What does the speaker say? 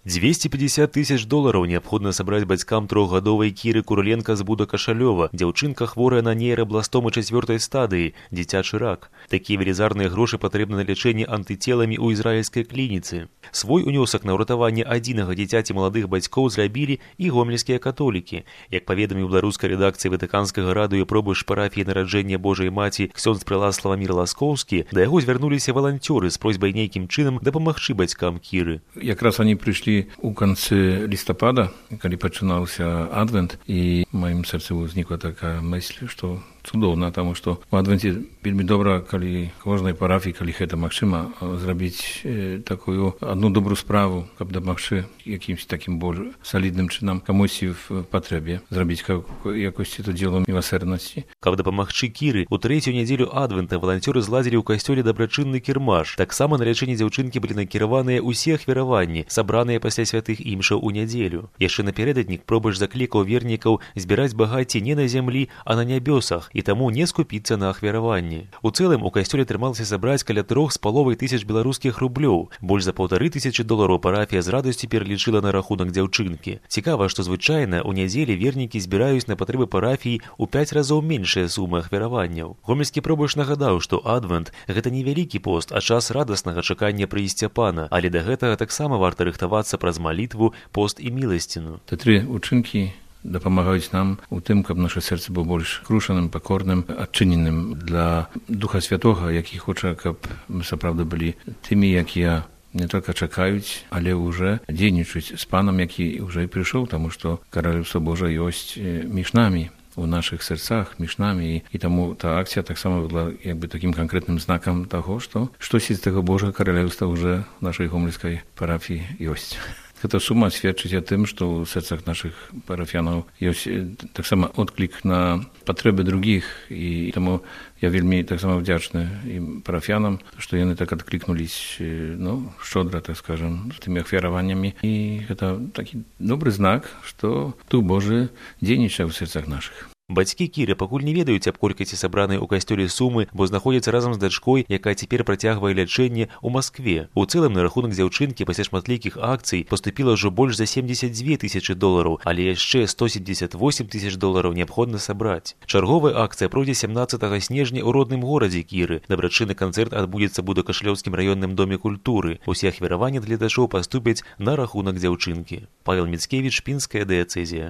250 тысяч долараў неабходна сабраць бацькам трохгадовай Кіры Куроленка з Буда-Кашалёва. Дзяўчынка хворая на нейрабластому 4-й стадыі, дзіцячы рак. Такія велізарныя грошы патрэбны на лячэнне антыцеламі ў ізраільскай клініцы. Свой унёсак на ўратаванне адзінага дзіцяці маладых бацькоў зрабілі і гомельскія католікі. Як паведаміў беларускай рэдакцыі Ватыканскага радыё пробыш парафіі нараджэння Божай Маці ксёндз прэлат Славамір Ласкоўскі, да яго звярнуліся валанцёры з просьбай нейкім чынам дапамагчы бацькам Кіры. Якраз они прыйшлі у канцы лістапада, калі пачынаўся адвент, і ў маім сэрцы ўзнікла такая мысль, што цудоўна, таму што у адвенце вельмі добра, калі кожнай парафіі, калі гэта магчыма, зрабіць такую одну добрую справу, каб дапамагчы якімсь такім больш салідным чынам камусьці в патрэбе, зрабіць якосці то дзело міласэрнасці. Каб дапамагчы Кіры, у трэцюю нядзелю адвента валанцёры зладзілі ў касцёле дабрачынны кірмаш. Таксама на лячэнне дзяўчынкі былі накіраваныя ўсе ахвяраванні, сабраныя пасля святых імшаў у нядзелю. Яшчэ напярэдадні пробыш заклікаў вернікаў збіраць багацце не на зямлі, а на нябёсах, і таму не скупіцца на ахвяраванні. У цэлым у касцёле атрымалася сабраць каля 3,5 тысяч беларускіх рублёў. Больш за 1500 долараў парафія з радасцю пералічыла на рахунак дзяўчынкі. Цікава, што звычайна ў нядзелі вернікі збіраюць на патрэбы парафіі ў 5 разоў меншыя сумы ахвяраванняў. Гомельскі пробыш нагадаў, што адвент – гэта не вялікі пост, а час радаснага чакання прыйсця Пана, але да гэтага таксама варта рыхтавацца праз малітву, пост і міласціну. Тры учынкі дапамагаюць нам у тым, каб наша сэрца было больш крушаным, пакорным, адчыненым для Духа Святога, які хоча, каб мы сапраўды былі тымі, якія не толькі чакаюць, але ўжо дзейнічаюць з Панам, які ўжо і прыйшоў, таму што Каралеўства Божа ёсць між намі, у нашых сэрцах, між намі, і таму та акцыя таксама была як бы такім канкрэтным знакам таго, што штосьці з таго Божага Каралеўства ўжо в нашай гомельскай парафіі ёсць. Гэта сума сведчыць о тым, што ў сэрцах нашых парафіянаў ёсць таксама отклік на патрэбы другіх, і таму я вельмі таксама вдзячны ім парафіянам, што яны так адклікнулись, шчодра, так скажам, з тымі ахвяраваннямі. І гэта такі добры знак, што Дух Божы дзейнічае ў сэрцах нашых. Бацькі Кіры пакуль не ведаюць аб колькасці сабранай у касцёле сумы, бо знаходзяцца разам з дачкой, якая цяпер працягвае лячэнне ў Маскве. У цэлым на рахунак дзяўчынкі пасля шматлікіх акцый паступіла ўжо больш за 72 тысячы долараў, але яшчэ 178 тысяч долараў неабходна сабраць. Чарговая акцыя пройдзе 17 снежня ў родным горадзе Кіры. Дабрачынны канцэрт адбудзецца ў Буда-Кашалёўскім раённым доме культуры. Усе ахвяраванні для гледачоў паступяць на рахунак дзяўчынкі. Павел Міцкевіч, Пінская дыяцэзія.